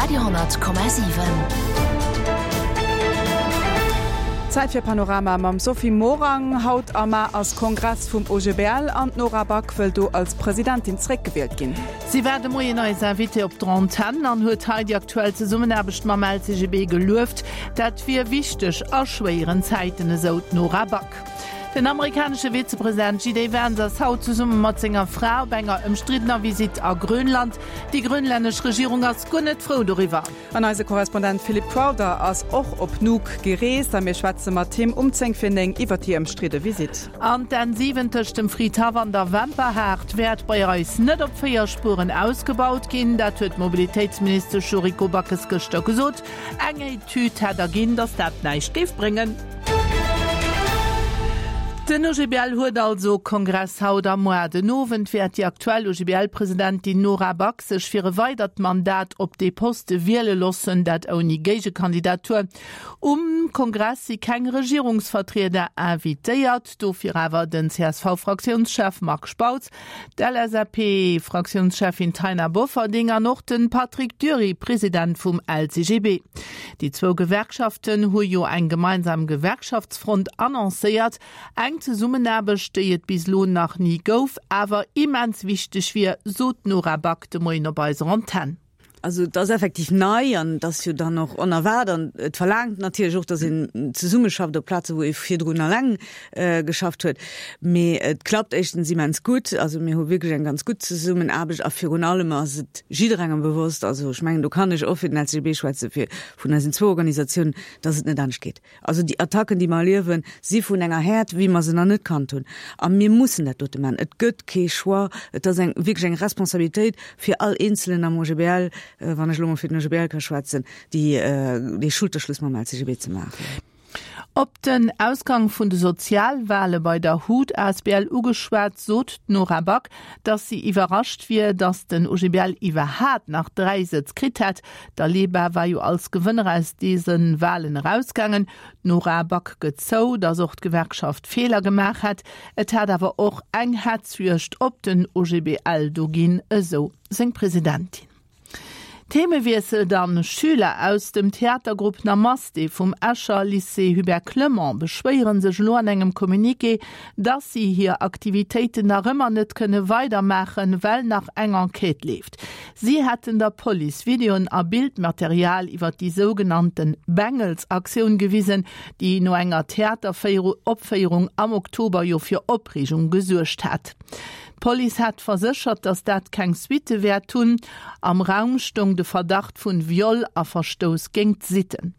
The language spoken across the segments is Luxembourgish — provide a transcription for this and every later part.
Radio 10,7. Zäit fir Panorama mam Sophie Morang. Haut a mar ass Kongress vum OGBL an d'Nora Back wëll do als Presidentin zeréckgewielt ginn. Si war de Moien eis Invitée op der Antenn an huet hei déi aktuell Zesummenaarbecht mam LCGB gelueft. Dat wier wichteg a schwéieren Zäiten, esou d'Nora Back. Den amerikanesche Vizepresident JD Vance ass haut zesumme mat senger Fra op enger ëmstriddener Visitt a Grönland. Déi grönlännesch Regierung ass guer net frou doriwwer. An eise Korrespondent Philippe Crowther ass och op Nuuk gereest a mir schwätze mat him um 10 fir 9 iwwer déi ëmstridde Visitt. An d'N 7 tëscht dem Fridhaff an der Wemperhaart wäert bei eis net op 4 Spueren ausgebaut ginn. Dat huet d'Mobilitéitsministesch Yuriko Backes gëschter gesot. Eng Etüd hätt erginn, datt dat näischt géif bréngen. Den OGBL huet also Kongress haut a moar. Den Owend wäert déi aktuell OGBL-Presidentin Nora Back sech fir e weidert Mandat op dee Poste wiele loossen, dat ouni Géigekandidatur. Um Kongress si keng Regierungsvertrieder invitéiert, dofir awer den CSV-Fraktiounschef Marc Spautz, D'LSAP-Fraktiounscheffin Taina Bofferding an och de Patrick Dury, President vum LCGB. Déi zwou Gewerkschaften hu jo eng gemeinsam Gewerkschaftsfront annoncéiert. Eng Zesummenaarbecht, déi et bis elo nach ni gouf, awer immens wichteg wier, sot d'Nora Back de Moien op eiser Antenn. Also et ass effektiv nei an et ass jo dann och onerwaart an et verlaangt natierlech och, datt een zesummeschafft op Plaze wou ee virdrun alleng geschafft huet. Mee et klappt éischtens immens gutt, also mir hu wierklech eng ganz gutt Zesummenaarbecht a virun allem ass et jidderengem bewosst, also ech mengen do kann ech och fir den LCGB schwätzen, fir vun eisen zwou Organisatiounen, datt et net anescht geet. Also déi Attacken, déi mer erliewen, si vun enger Häert, wéi mer se nach net kannt hunn. A mir mussen dat dote maachen. Et gëtt kee Choix. Et ass eng, wierklech eng Responsabilitéit fir all Eenzelen am OGBL, wann ech elo mol fir den OGBL ka schwätzen, déi, dee Schulterschluss mam LCGB ze maachen. Op den Ausgang vun de Sozialwale bei der hut asbl ugeschwat, sot d'Nora Back, datt si iwwerrascht wier, datt den OGBL iwwerhaat nach 3 Sëtz kritt hätt. D'Aleba war jo als Gewënner aus dese Walen erausgaangen. D'Nora Back gëtt zou, datt och d'Gewerkschaft Feeler gemaach hätt. Et hätt awer och eng Hetzjuegd op den OGBL do ginn, esou seng Presidentin. Themewiessel dann, Schüler aus dem Theatergrupp Namaste vum Escher Lycée Hubert Clement beschwéiere sech elo an engem Communiqué, dass si hir Aktivitéiten nach ëmmer net kënne weidermaachen, well nach eng Enquête leeft. Si hätten der Police Videoen a Bildmaterial iwwer déi sougenannte Bengels-Aktioun gewisen, déi no enger Theateropféierung am Oktober jo fir Opreegung gesuergt hat. D'Police hat verséchert, datt dat keng Suitte wäert hunn. Am Raum stoung de Verdacht vun Viol a Verstouss géint d'Sitten.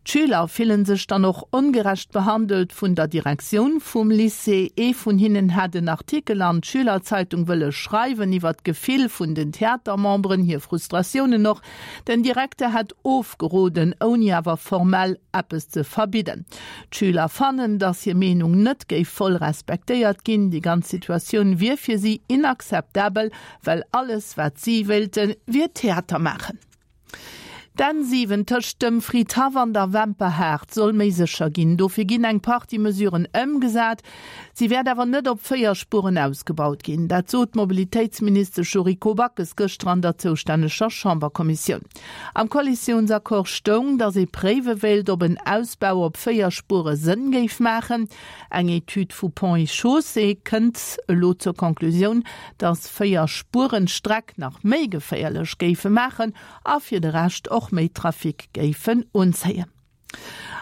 D'Schüler fillen sech dann och ongerecht behandelt vun der Direktioun vum Lycée. Ee vun hinnen hätt en Artikel an d'Schülerzeitung wëlle schreiwen iwwer d'Gefill vun den Theatermemberen, hir Frustratiounen och. Den Direkter hätt ofgeroden, ouni awer formell eppes ze verbidden. D'Schüler fannen, datt hir Meenung net géif voll respektéiert ginn. Déi ganz Situatioun wier fir si inakzeptabel, well alles wat si wéilten, wier Theater maachen. D'N 7 tëscht dem Fridhaff an der Wemperhaart soll méi sécher ginn. Dofir ginn eng Partie Mesuren ëmgesat. Si wäert awer net op 4 Spueren ausgebaut ginn. Dat sot d'Mobilitéitsministesch Yuriko Backes gëschter an der zoustänneger Chamberkommissioun. Am Koalitiounsaccord stoung, datt ee préiwe wéilt, ob en Ausbau op 4 Spuere Sënn géif maachen. Eng Etüd vu Ponts et Chaussées kënnt elo zur Conclusioun, datt 4 Spueren d'Streck nach méi geféierlech géife maachen a fir de Rescht och méi Trafic géifen unzéien.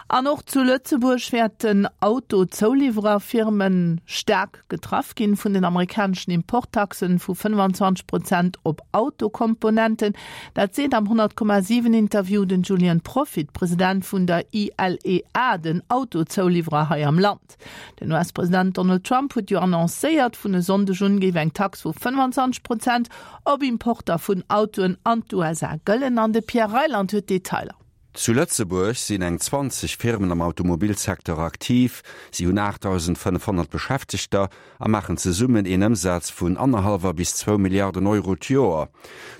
An och zu Lëtzebuerg wäerten Auto-Zouliwwererfirme staark getraff ginn vun den amerikaneschen Importtaxen vu 25 Prozent op Autokomponenten. Dat seet am 100,7 Interview den Julien Proffitt, President vun der ILEA, den Autozouliwwerer hei am Land. Den US-President Donald Trump huet jo annoncéiert, vun e Sonndeg un géif eng Tax vu 25 Prozent op Importer vun Autoen an d'USA gëllen. An de Pierre Reyland huet d'Detailer. Zu Lëtzebuerg sinn eng 20 Firmen am Automobilsecteur aktiv. Si hunn 8.500 Beschäftegter a maachen zesummen een Ëmsaz vun annerhallwer bis zwou Milliarden Euro d'Joer.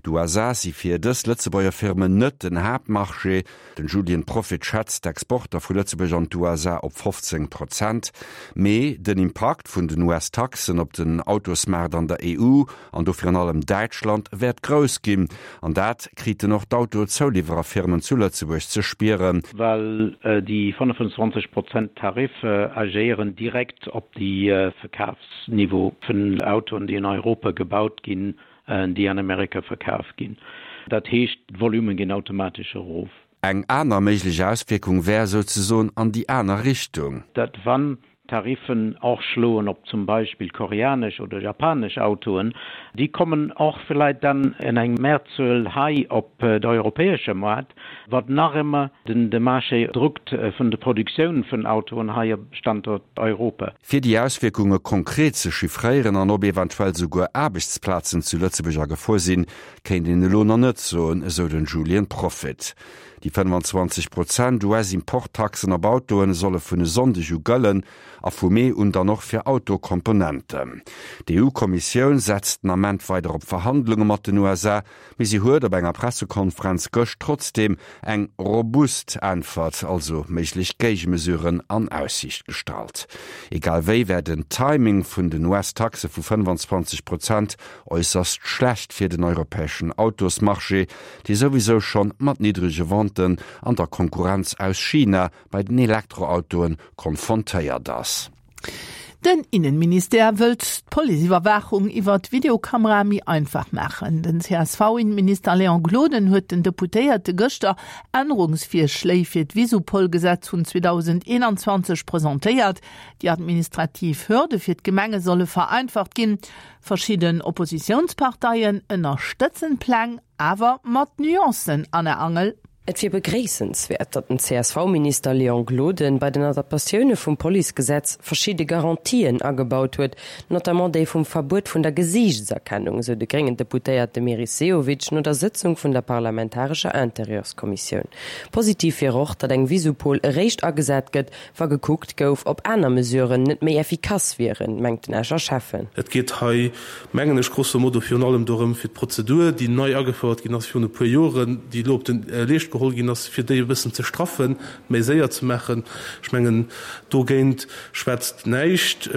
D'USA si fir dës Lëtzebuerger Firmen net den Haaptmarché. Den Julien Proffitt schätzt d'Exporter vu Lëtzebuerg an d'USA op 15 Prozent. Mee den Impakt vun den US-Taxen op den Autosmaart an der EU, an do virun allem Däitschland, wäert grouss ginn. An dat kriten och d'Autozouliwwererfirmen zu Lëtzebuerg ze spieren. Well déi 25 Prozent Tarif agéieren direkt op de Verkafsniveau vun Autoen, déi an Europa gebaut ginn, déi an Amerika verkaf ginn. Dat heescht, d'Volume ginn automatesch erof. Eng aner méiglech Auswierkung wär souzesoen an déi aner Richtung. Datt wann d'Tariffen och schloen op zum Beispill koreanesch oder japanesch Autoen, déi kommen och vläit dann en eng Mehrzuel hei op de europäesche Moart, wat nach ëmmer de Marché druckt vun de Produktioun vun Autoen hei op Standort Europa. Fir déi Auswierkunge konkret ze chiffréieren an ob eventuell souguer Aarbechtsplazen zu Lëtzebuerg a Gefor sinn, kéint een elo nach net soen, esou den Julien Proffitt. Déi 25 Prozent US-Importtaxen op Autoen solle vun e Sonndeg u gëllen a vu Mee un dann och fir Autokomponenten. D'EU-Kommissioun setzt den Ament weider op Verhandlunge mat den USA, Mee si huet op enger Pressekonferenz gëscht trotzdeem eng robust Äntwert, also méiglech Géigemesuren an Aussiicht gestallt. Egal wéi wär den Timing vun den US-Taxe vu 25 Prozent äusserst schlecht fir den europäeschen Autosmarché, dee souwisou schonn mat niddrege Venten an der Konkurrenz aus China bei den Elektroautoe konfrontéiert ass. Den Innenministère wëllt d'Policeiwwerwaachung iwwert Videokamerae méi einfach maachen. Den CSV-Innenminister Léon Gloden huet den Deputéierte gëschter Ännerungsvirschléi fir d'Visupol-Gesetz vun 2021 presentéiert. Déi administrativ Hürde fir d'Gemenge solle vereinfacht ginn. Verschidden Oppositiounsparteien ënnerstëtzen d'Pläng, awer mat Nuancen, Anna Angel. Et wier begréissenswäert, datt den CSV-Minister Léon Gloden bei den Adaptatioune vum Policegesetz verschidde Garantien agebaut huet, notamment déi vum Verbuet vun der Gesiichtserkennung, esou de gréngen Deputéierte Meris Sehovic no der Sëtzung vun der parlamentarescher Interieurskommissioun. Positiv wier och, datt eng Visupol eréischt agesat gëtt, wa gekuckt gouf, ob aner Mesuren net méi effikass wieren, mengt den Escher Schäffen. Et geet hei mengen ech, grosso modo virun allem dorëm, fir d'Prozedur, déi nei agefouert ginn ass virun e puer Joren, déi elo op de Leescht geholl ginn ass, fir déi e bëssen ze straffen, méi séier ze maachen. Ech mengen, dogéint schwätzt näischt.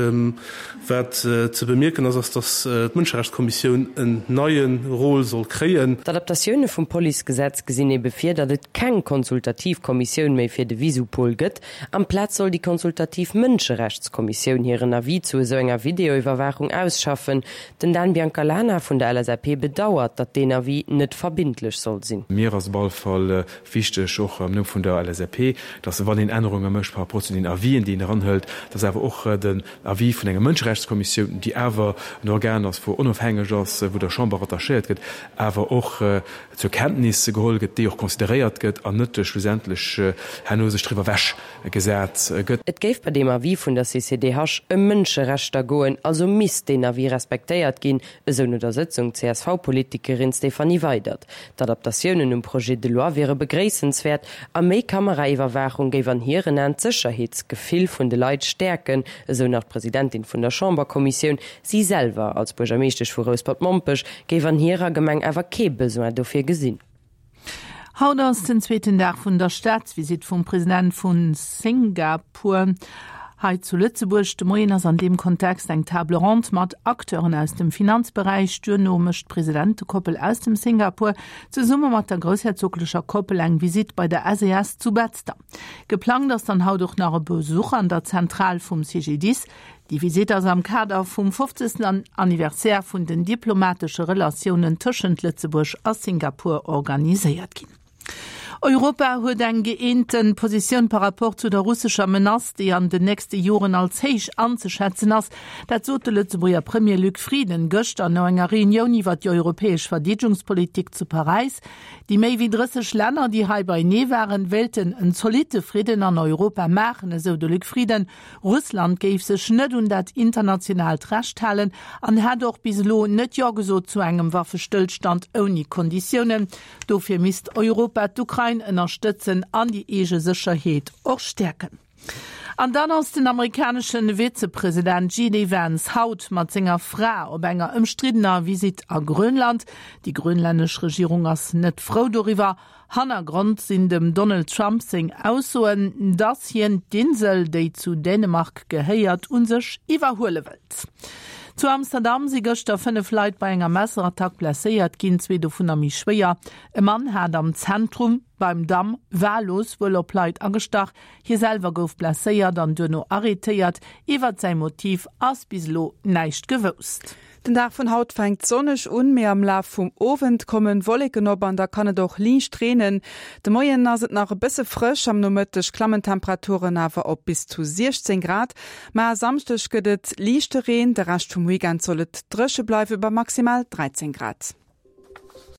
Wat ze bemierken ass, ass, datt d'Mënscherechtskommissioun en neie Rôle soll kréien. D'Adaptatioune vum Policegesetz gesinn ebe vir, datt et keng konsultativ Kommissioun méi fir de Visupol gëtt, Amplaz soll déi konsultativ Mënscherechtskommissioun hiren Avis zu esou enger Videoiwwerwaachung ausschaffen. Den Dan Biancalana vun der LSAP bedauert, datt deen Avis net verbindlech soll sinn. Mir ass op alle Fall wichteg, och am Numm vun der LSAP, datt wann een Ännerunge mécht par rapport zu den Avisen, déi een eranhëlt, datt awer och den Avis vun enger Mënscherechtskommissioun, déi awer en Organ ass, wou onofhängeg ass, wou der Chamber rattachéiert gëtt, awer och zur Kenntnis geholl gëtt, déi och consideréiert gëtt an net schlussendlech herno sech driwwer ewech gesat gëtt. Et géif bei deem Avis vun der CCDH ëm Mënscherechter goen, also misst deen Avis respektéiert ginn, esou no der Sëtzung d'CSV-Politikerin Stéphanie Weydert. D'Adaptatiounen um Projet de loi wiere begréissenswäert a méi Kameraiwwerwaachung géif an hiren Aen d'Sécherheetsgefill vun de Leit stäerken, esou nach d'Presidentin vun der Chamberkommissioun. Si selwer als Buergermeeschtesch vu Rouspert-Mompech géif an hirer Gemeng awer kee Besoin dofir gesinn. Haut ass den zweeten Dag vun der Staatsvisitt vum President vu Singapur hei zu Lëtzebuerg. De Moien ass an deem Kontext eng Table ronde mat Acteuren aus dem Finanzberäich. Duerno mécht d'Presidentekoppel aus dem Singapur zesumme mat der groussherzoglecher Koppel eng Visitt bei der SES zu Betzder. Geplangt ass dann haut och nach e Besuch an der Zentral vum CGDIS. Déi Visitt ass am Kader vum 50. Anniversaire vun den diplomatesche Relatiounen tëschent Lëtzebuerg a Singapur organiséiert ginn. Europa huet eng gëeente Positioun par rapport zu der russescher Menace, déi an den nächste Joren als héich anzeschätzen ass. Dat sot de Lëtzebuerger Premier Luc Frieden gëschter no enger Reunioun iwwer déi europäesch Verdeedegungspolitik zu Paräis. Déi méi wéi 30 Länner, déi hei beienee waren, wéilten en zolitte Fridden an Europa maachen, esou de Luc Frieden. Russland géif sech net un dat internationaalt Recht halen an hätt och bis elo net Jo gesot zu engem Waffestëllstand ouni Konditiounen. Dofir misst Europa d'Ukrain. d'Ukrain ënnerstëtzen an déi eege Sécherheet och stäerken. An dann ass den amerikanesche Vizepresident JD Vance haut mat senger Fra op enger ëmstriddener Visitt a Grönland. Déi grönlännesch Regierung ass net frou doriwwer. Hannergrond sinn dem Donald Trump seng Aussoen, datt hien d'Insel, déi zu Dänemark gehéiert, u sech iwwerhuele wëllt. Zu Amsterdam si gëschter 5 Leit bei enger Messerattack blesséiert ginn, zwee dovunner méi schwéier. E Mann hat am Zentrum beim Damm wahllos wuel op Leit agestach. Hie selwer gouf blesséiert an duerno arrêtéiert. Iwwert säi Motiv ass bis elo näischt gewousst. Den Dag vun haut fänkt sonneg un, mee am Laf vum Owend kommen Wolleken op an da kann et och liicht reenen. De Moien ass et nach e bësse frësch, am Nomëtteg klammen d'Temperaturen awer op bis zu 16 Grad. Ma e Samschdeg gëtt et liichte Reen, de Rescht vum Weekend soll et dréche bleiwe bei maximal 13 Grad.